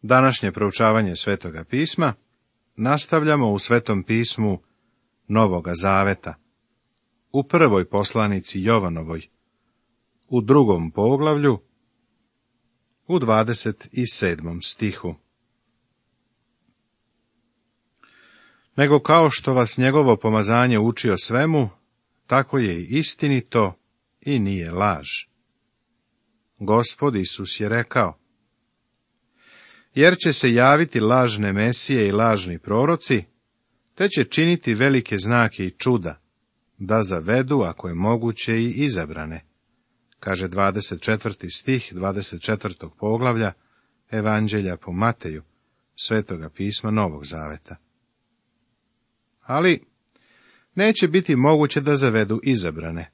Današnje proučavanje Svetoga pisma nastavljamo u Svetom pismu Novoga Zaveta, u prvoj poslanici Jovanovoj, u 2. poglavlju, u 27. stihu. Nego kao što vas njegovo pomazanje uči o svemu, tako je i istinito i nije laž. Gospod Isus je rekao: jer će se javiti lažne mesije i lažni proroci, te će činiti velike znake i čuda, da zavedu, ako je moguće, i izabrane, kaže 24. stih 24. poglavlja Evanđelja po Mateju, Svetoga pisma Novog Zaveta. Ali neće biti moguće da zavedu izabrane.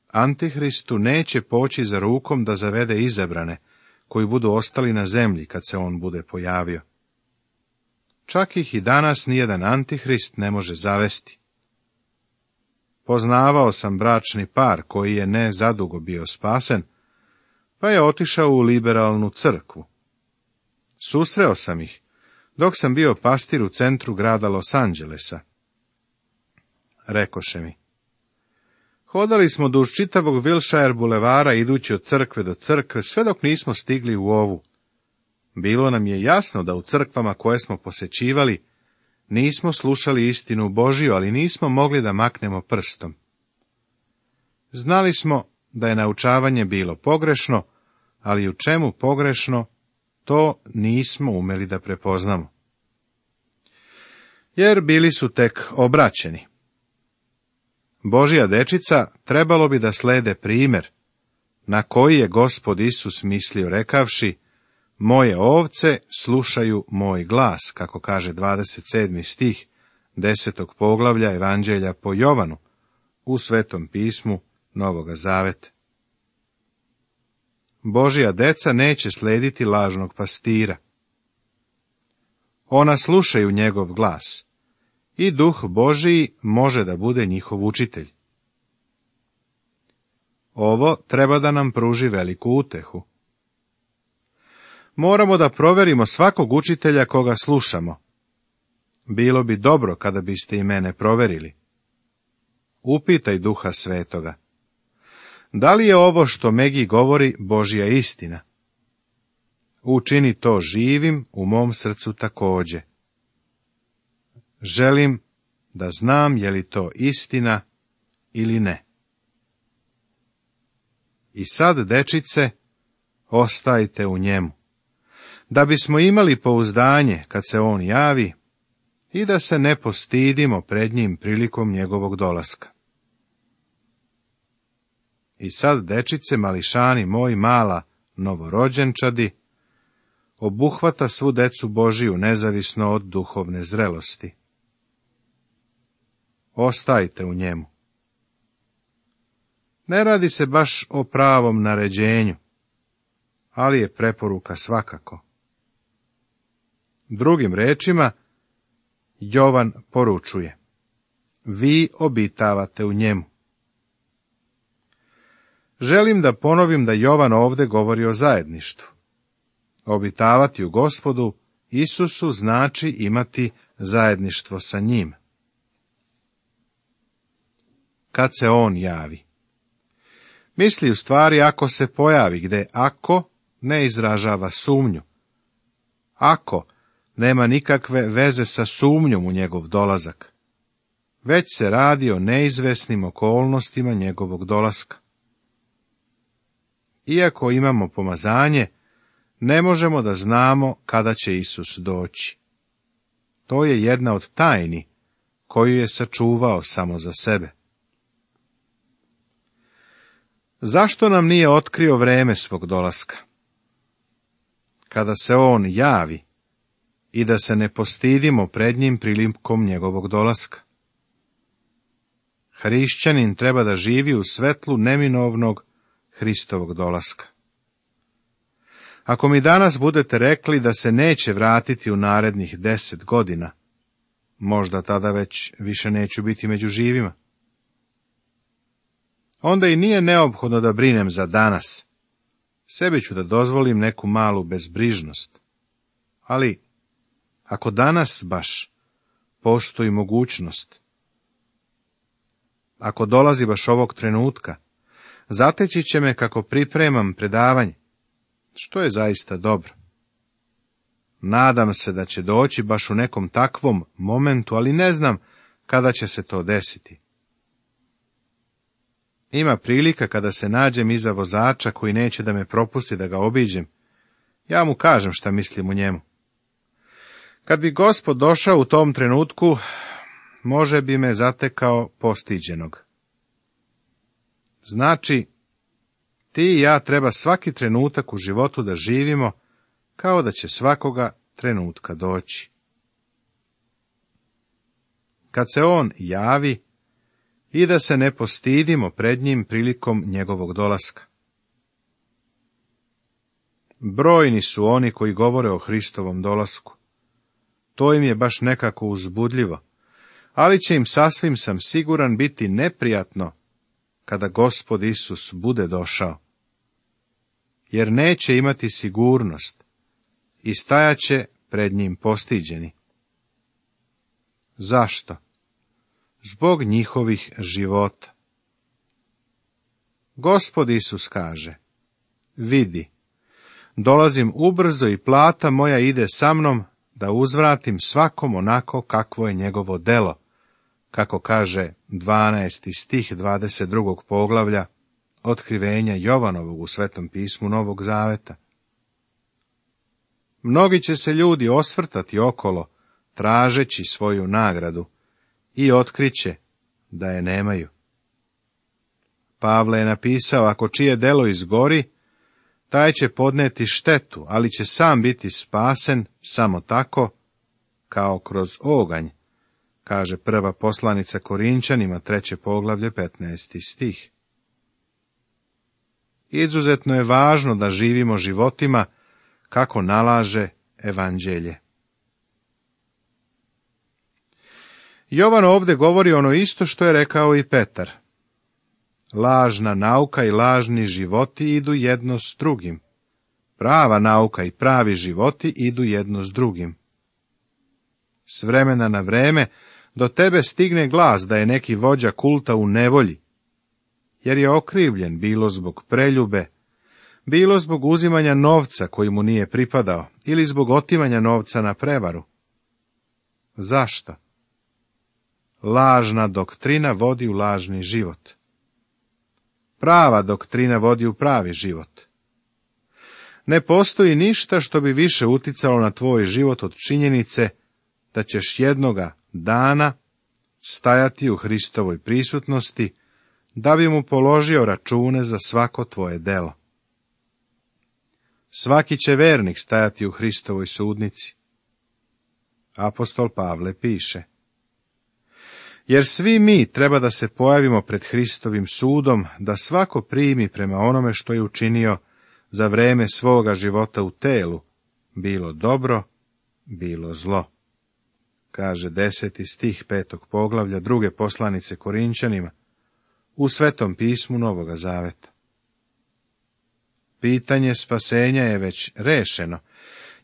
Antihristu neće poći za rukom da zavede izabrane, koji budu ostali na zemlji kad se on bude pojavio. Čak ih i danas nijedan antihrist ne može zavesti. Poznavao sam bračni par koji je ne zadugo bio spasen, pa je otišao u liberalnu crkvu. Susreo sam ih dok sam bio pastir u centru grada Los Angelesa. Rekoše mi: hodali smo duž čitavog Wilshire bulevara idući od crkve do crkve, sve dok nismo stigli u ovu. Bilo nam je jasno da u crkvama koje smo posećivali nismo slušali istinu Božiju, ali nismo mogli da maknemo prstom. Znali smo da je naučavanje bilo pogrešno, ali u čemu pogrešno, to nismo umeli da prepoznamo. Jer bili su tek obraćeni. Božja dečica trebalo bi da slede primer, na koji je Gospod Isus mislio rekavši: moje ovce slušaju moj glas, kako kaže 27. stih 10. poglavlja Evanđelja po Jovanu, u Svetom pismu Novoga Zaveta. Božja deca neće slediti lažnog pastira. Ona slušaju njegov glas, i Duh Božiji može da bude njihov učitelj. Ovo treba da nam pruži veliku utehu. Moramo da proverimo svakog učitelja koga slušamo. Bilo bi dobro kada biste i mene proverili. Upitaj Duha Svetoga: da li je ovo što Megi govori Božja istina? Učini to živim u mom srcu takođe. Želim da znam je li to istina ili ne. I sad, dečice, ostajte u njemu, da bismo imali pouzdanje kad se on javi i da se ne postidimo pred njim prilikom njegovog dolaska. I sad, dečice, mališani moji, mala novorođenčadi, obuhvata svu decu Božiju nezavisno od duhovne zrelosti. Ostajte u njemu. Ne radi se baš o pravom naređenju, ali je preporuka svakako. Drugim rečima, Jovan poručuje: vi obitavate u njemu. Želim da ponovim da Jovan ovde govori o zajedništvu. Obitavati u Gospodu Isusu znači imati zajedništvo sa njim. Kad se on javi. Misli u stvari ako se pojavi, gde ako ne izražava sumnju. Ako nema nikakve veze sa sumnjom u njegov dolazak, već se radi o neizvesnim okolnostima njegovog dolaska. Iako imamo pomazanje, ne možemo da znamo kada će Isus doći. To je jedna od tajni koju je sačuvao samo za sebe. Zašto nam nije otkrio vreme svog dolaska? Kada se on javi, i da se ne postidimo pred njim prilikom njegovog dolaska. Hrišćanin treba da živi u svetlu neminovnog Hristovog dolaska. Ako mi danas budete rekli da se neće vratiti u narednih 10 godina, možda tada već više neću biti među živima. Onda i nije neophodno da brinem za danas. Sebi ću da dozvolim neku malu bezbrižnost. ali ako danas baš postoji mogućnost, ako dolazi baš ovog trenutka, zateći će me kako pripremam predavanje, što je zaista dobro. Nadam se da će doći baš u nekom takvom momentu, ali ne znam kada će se to desiti. Ima prilika kada se nađem iza vozača koji neće da me propusti da ga obiđem. Ja mu kažem šta mislim o njemu. Kad bi Gospod došao u tom trenutku, može bi me zatekao postiđenog. Znači, ti i ja treba svaki trenutak u životu da živimo kao da će svakoga trenutka doći. Kad se on javi, i da se ne postidimo pred njim prilikom njegovog dolaska. Brojni su oni koji govore o Hristovom dolasku. To im je baš nekako uzbudljivo, ali će im sasvim sam siguran biti neprijatno kada Gospod Isus bude došao, jer neće imati sigurnost i stajaće pred njim postiđeni. Zašto? Zbog njihovih života. Gospod Isus kaže, vidi, dolazim ubrzo i plata moja ide sa mnom da uzvratim svakom onako kakvo je njegovo delo, kako kaže 12. stih 22. poglavlja Otkrivenja Jovanovog u Svetom pismu Novog Zaveta. Mnogi će se ljudi osvrtati okolo, tražeći svoju nagradu, i otkriće da je nemaju. Pavle je napisao, ako čije delo izgori, taj će podneti štetu, ali će sam biti spasen samo tako, kao kroz oganj, kaže prva poslanica Korinčanima, 3. poglavlje, 15. stih. Izuzetno je važno da živimo životima kako nalaže evanđelje. Jovan ovdje govori ono isto što je rekao i Petar. Lažna nauka i lažni životi idu jedno s drugim. Prava nauka i pravi životi idu jedno s drugim. S vremena na vreme do tebe stigne glas da je neki vođa kulta u nevolji, jer je okrivljen bilo zbog preljube, bilo zbog uzimanja novca koji mu nije pripadao, ili zbog otimanja novca na prevaru. Zašto? Lažna doktrina vodi u lažni život. Prava doktrina vodi u pravi život. Ne postoji ništa što bi više uticalo na tvoj život od činjenice da ćeš jednoga dana stajati u Hristovoj prisutnosti, da bi mu položio račune za svako tvoje delo. Svaki će vernik stajati u Hristovoj sudnici. Apostol Pavle piše, jer svi mi treba da se pojavimo pred Hristovim sudom, da svako primi prema onome što je učinio za vreme svoga života u telu, bilo dobro, bilo zlo. Kaže 10. stih 5. poglavlja 2. poslanice Korinčanima u Svetom pismu Novoga Zaveta. Pitanje spasenja je već rešeno,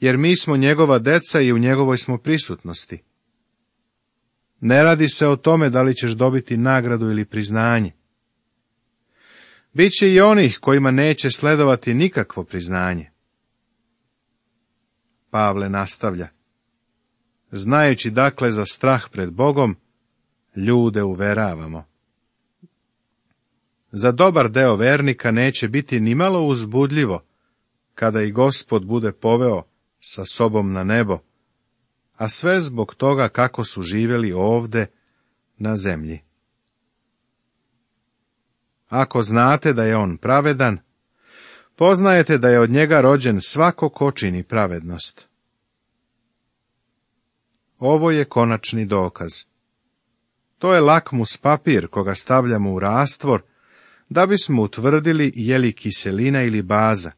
jer mi smo njegova deca i u njegovoj smo prisutnosti. Ne radi se o tome da li ćeš dobiti nagradu ili priznanje. Biće i onih kojima neće sledovati nikakvo priznanje. Pavle nastavlja, znajući dakle za strah pred Bogom, ljude uveravamo. Za dobar deo vernika neće biti ni malo uzbudljivo, kada i Gospod bude poveo sa sobom na nebo, a sve zbog toga kako su živjeli ovde na zemlji. Ako znate da je on pravedan, poznajete da je od njega rođen svako ko čini pravednost. Ovo je konačni dokaz. To je lakmus papir koga stavljamo u rastvor, da bismo utvrdili je li kiselina ili baza.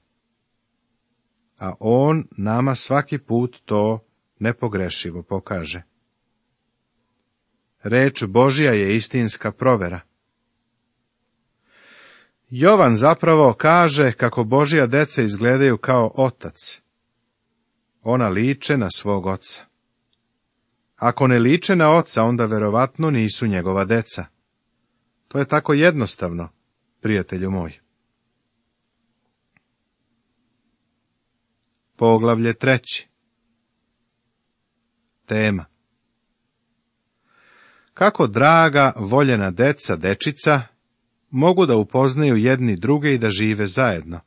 A on nama svaki put to nepogrešivo pokaže. Reč Božja je istinska provera. Jovan zapravo kaže kako Božja deca izgledaju kao otac. ona liče na svog oca. Ako ne liče na oca, onda verovatno nisu njegova deca. To je tako jednostavno, prijatelju moj. Poglavlje 3. Tema. Kako draga, voljena deca, dečica, mogu da upoznaju jedni druge i da žive zajedno.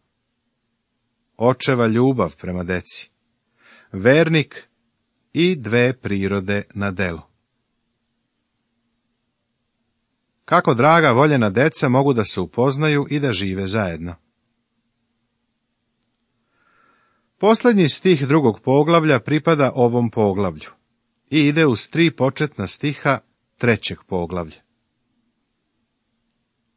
Očeva ljubav prema deci. Vernik i dve prirode na delu. Kako draga, voljena deca mogu da se upoznaju i da žive zajedno. Posljednji stih 2. poglavlja pripada ovom poglavlju i ide uz 3 početna stiha 3. poglavlja.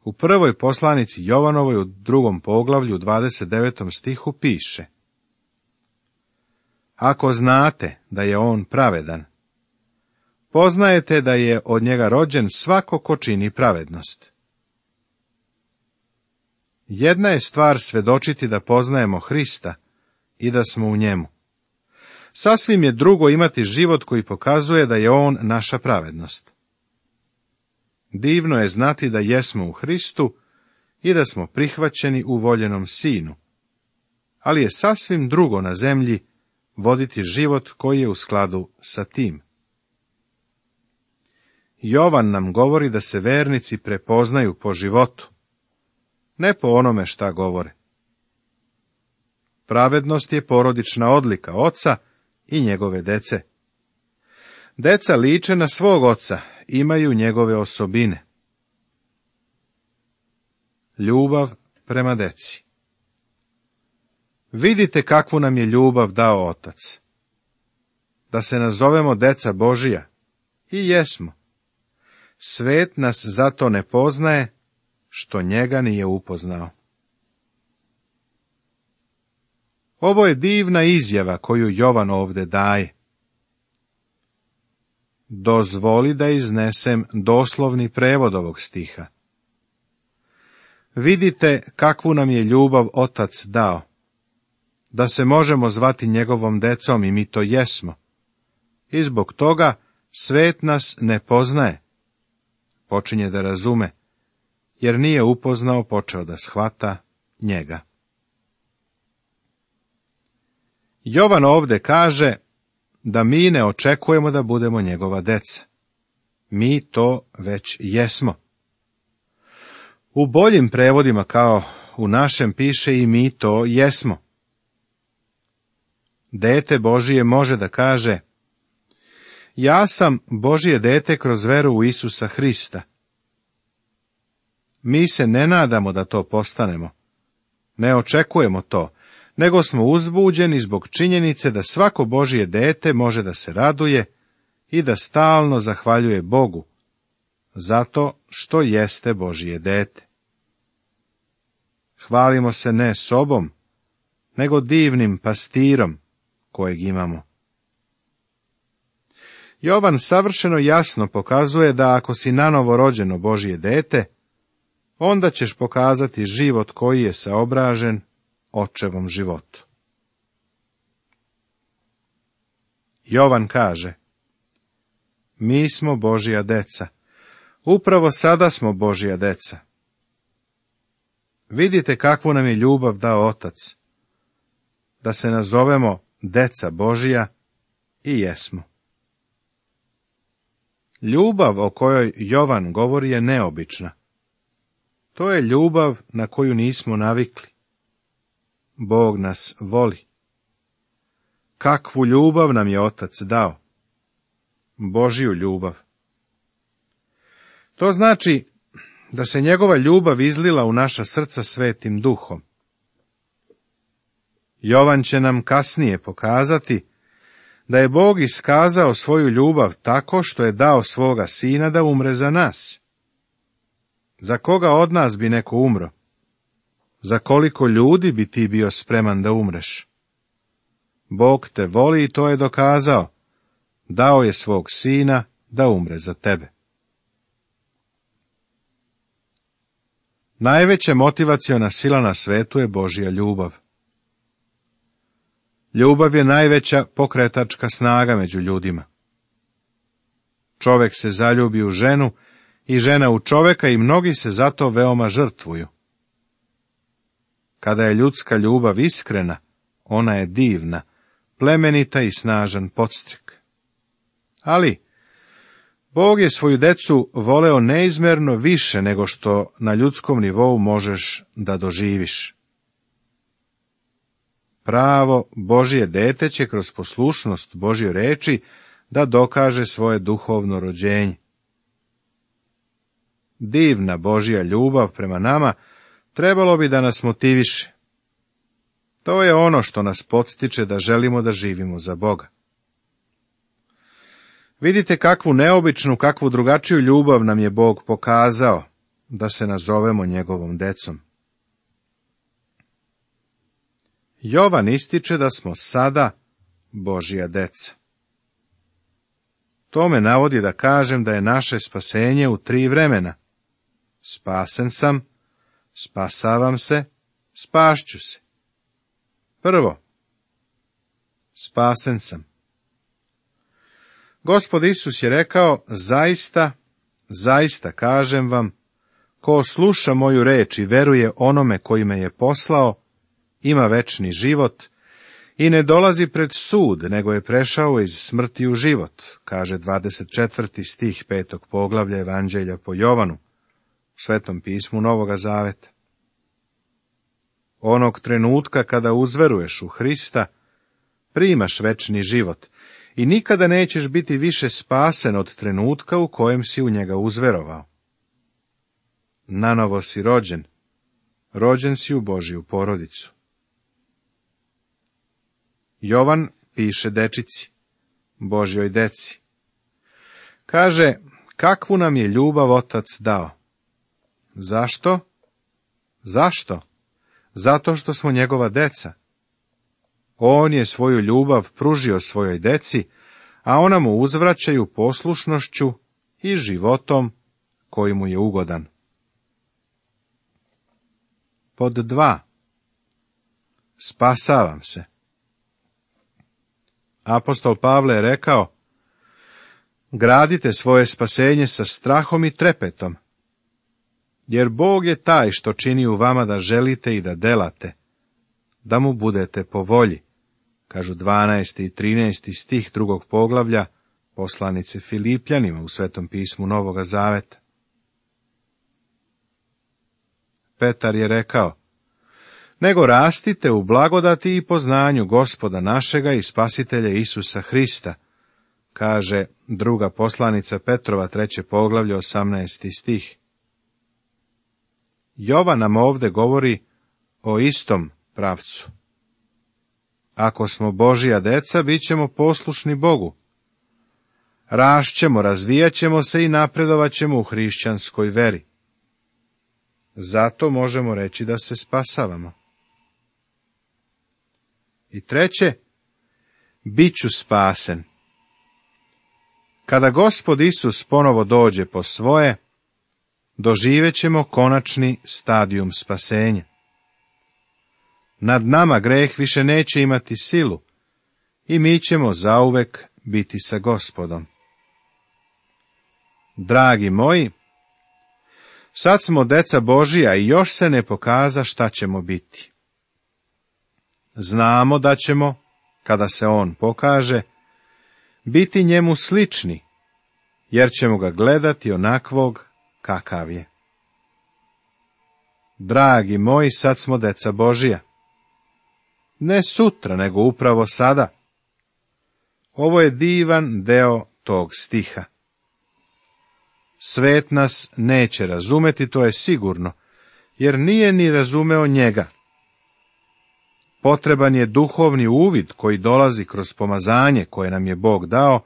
U prvoj poslanici Jovanovoj u 2. poglavlju u 29. stihu piše: Ako znate da je on pravedan, poznajete da je od njega rođen svako ko čini pravednost. Jedna je stvar svedočiti da poznajemo Hrista i da smo u njemu. Sasvim je drugo imati život koji pokazuje da je on naša pravednost. Divno je znati da jesmo u Hristu i da smo prihvaćeni u voljenom Sinu, ali je sasvim drugo na zemlji voditi život koji je u skladu sa tim. Jovan nam govori da se vernici prepoznaju po životu, ne po onome šta govore. Pravednost je porodična odlika oca i njegove dece. Deca liče na svog oca, imaju njegove osobine. Ljubav prema deci. Vidite kakvu nam je ljubav dao Otac. Da se nazovemo deca Božija, i jesmo. Svet nas zato ne poznaje, što njega nije upoznao. Ovo je divna izjava koju Jovan ovde daje. Dozvoli da iznesem doslovni prevod ovog stiha. Vidite kakvu nam je ljubav Otac dao, da se možemo zvati njegovom decom i mi to jesmo. I zbog toga svet nas ne poznaje. Počinje da razume, jer nije upoznao, počeo da shvata njega. Jovan ovde kaže da mi ne očekujemo da budemo njegova deca. Mi to već jesmo. U boljim prevodima, kao u našem, piše i mi to jesmo. Dete Božije može da kaže: ja sam Božje dete kroz veru u Isusa Hrista. Mi se ne nadamo da to postanemo. Ne očekujemo to, nego smo uzbuđeni zbog činjenice da svako Božje dete može da se raduje i da stalno zahvaljuje Bogu, zato što jeste Božje dete. Hvalimo se ne sobom, nego divnim pastirom kojeg imamo. Jovan savršeno jasno pokazuje da ako si nanovo rođeno Božje dete, onda ćeš pokazati život koji je saobražen očevom životu. Jovan kaže: mi smo Božja deca. Upravo sada smo Božja deca. Vidite kakvu nam je ljubav dao Otac, da se nazovemo deca Božja, i jesmo. Ljubav o kojoj Jovan govori je neobična. To je ljubav na koju nismo navikli. Bog nas voli. Kakvu ljubav nam je Otac dao? Božju ljubav. To znači da se njegova ljubav izlila u naša srca Svetim Duhom. Jovan će nam kasnije pokazati da je Bog iskazao svoju ljubav tako što je dao svoga Sina da umre za nas. Za koga od nas bi neko umro? Za koliko ljudi bi ti bio spreman da umreš? Bog te voli i to je dokazao. Dao je svog Sina da umre za tebe. Najveća motivaciona sila na svetu je Božja ljubav. Ljubav je najveća pokretačka snaga među ljudima. Čovek se zaljubi u ženu i žena u čoveka i mnogi se zato veoma žrtvuju. Kada je ljudska ljubav iskrena, ona je divna, plemenita i snažan podstrek. Ali, Bog je svoju decu voleo neizmerno više nego što na ljudskom nivou možeš da doživiš. Pravo Božje dete će kroz poslušnost Božjoj reči da dokaže svoje duhovno rođenje. Divna Božja ljubav prema nama trebalo bi da nas motiviše. To je ono što nas podstiče da želimo da živimo za Boga. Vidite kakvu neobičnu, kakvu drugačiju ljubav nam je Bog pokazao da se nazovemo njegovom decom. Jovan ističe da smo sada Božja deca. To me navodi da kažem da je naše spasenje u 3 vremena. Spasen sam, spasavam se, spašću se. Prvo, spasen sam. Gospod Isus je rekao, zaista, zaista kažem vam, ko sluša moju reč i veruje onome koji me je poslao, ima večni život i ne dolazi pred sud, nego je prešao iz smrti u život, kaže 24. stih 5. poglavlja Evanđelja po Jovanu, u Svetom pismu Novoga Zaveta. Onog trenutka kada uzveruješ u Hrista, primaš večni život i nikada nećeš biti više spasen od trenutka u kojem si u njega uzverovao. Nanovo si rođen, rođen si u Božju porodicu. Jovan piše dečici, Božjoj deci. Kaže, kakvu nam je ljubav Otac dao. Zašto? Zašto? Zato što smo njegova deca. On je svoju ljubav pružio svojoj deci, a ona mu uzvraćaju poslušnošću i životom koji mu je ugodan. Pod 2. Spasavam se. Apostol Pavle je rekao, gradite svoje spasenje sa strahom i trepetom, jer Bog je taj što čini u vama da želite i da delate, da mu budete po volji, kažu 12. i 13. stih 2. poglavlja poslanice Filipljanima u Svetom pismu Novoga Zaveta. Petar je rekao, nego rastite u blagodati i poznanju Gospoda našega i Spasitelja Isusa Hrista, kaže 2. poslanica Petrova 3. poglavlje 18. stih. Jovan nam ovde govori o istom pravcu. Ako smo Božja deca, bit ćemo poslušni Bogu. Rašćemo, razvijat ćemo se i napredovat ćemo u hrišćanskoj veri. Zato možemo reći da se spasavamo. I treće, bit ću spasen. Kada Gospod Isus ponovo dođe po svoje, doživet ćemo konačni stadijum spasenja. Nad nama greh više neće imati silu i mi ćemo zauvek biti sa Gospodom. Dragi moji, sad smo deca Božija i još se ne pokaza šta ćemo biti. Znamo da ćemo, kada se on pokaže, biti njemu slični, jer ćemo ga gledati onakvog kakav je. Dragi moji, sad smo deca Božija. Ne sutra, nego upravo sada. Ovo je divan deo tog stiha. Svet nas neće razumeti, to je sigurno, jer nije ni razumeo njega. Potreban je duhovni uvid koji dolazi kroz pomazanje koje nam je Bog dao,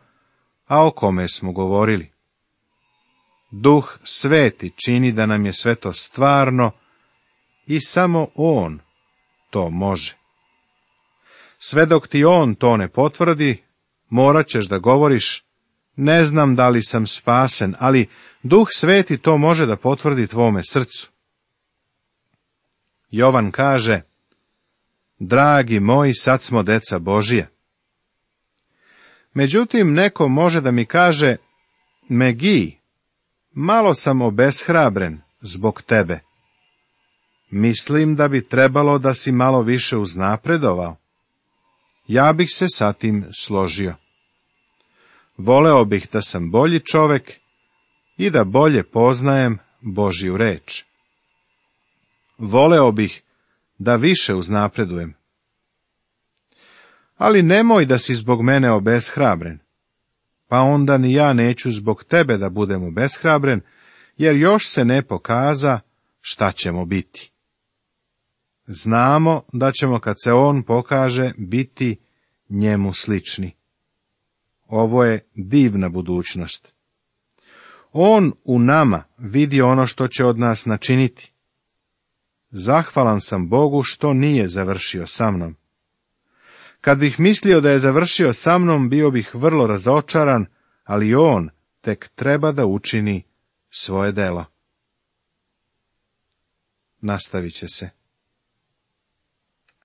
a o kome smo govorili. Duh Sveti čini da nam je sve to stvarno i samo on to može. Sve dok ti on to ne potvrdi, morat ćeš da govoriš, ne znam da li sam spasen, ali Duh Sveti to može da potvrdi tvome srcu. Jovan kaže, Dragi moji, sad smo deca Božija. Međutim, neko može da mi kaže, Megi, malo sam obeshrabren zbog tebe. Mislim da bi trebalo da si malo više uznapredovao. Ja bih se sa tim složio. Voleo bih da sam bolji čovek i da bolje poznajem Božju reč. Voleo bih da više uznapredujem. Ali nemoj da si zbog mene obeshrabren, pa onda ni ja neću zbog tebe da budem obeshrabren, jer još se ne pokaza šta ćemo biti. Znamo da ćemo, kad se on pokaže, biti njemu slični. Ovo je divna budućnost. On u nama vidi ono što će od nas načiniti. Zahvalan sam Bogu što nije završio sa mnom. Kad bih mislio da je završio sa mnom, bio bih vrlo razočaran, ali on tek treba da učini svoje delo. Nastavit će se.